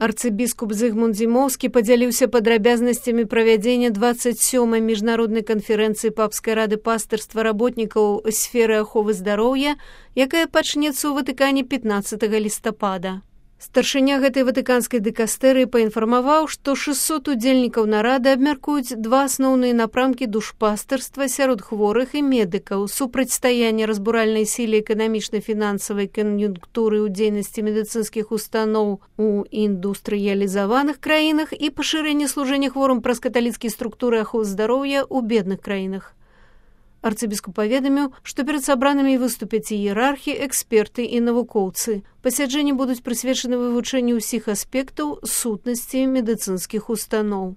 Арцыбіскуп Зыгмунд Зімоўскі падзяліўся падрабязнасцямі правядзення 27-й міжнароднай канферэнцыі Папскай рады пастырства работнікаў сферы аховы здароўя, якая пачнецца ў Ватыкане 15 лістапада. Старшыня гэтай ватыканскай дыкастэрыі паінфармаваў, што 600 удзельнікаў нарады абмяркуюць два асноўныя напрамкі душпастырства сярод хворых і медыкаў, супрацьстаянне разбуральнай сіле эканамічна-фінансавай кан'юнктуры ў дзейнасці медыцынскіх устаноў у індустрыялізаваных краінах і пашырэнне служэння хворым праз каталіцкія структуры аховы здароўя ў бедных краінах. Арцыбіскуп паведаміў, што перад сабранымі выступяць іерархі, эксперты і навукоўцы. Пасяджэнні будуць прысвечаны вывучэнню ўсіх аспектаў сутнасці медыцынскіх устаноў.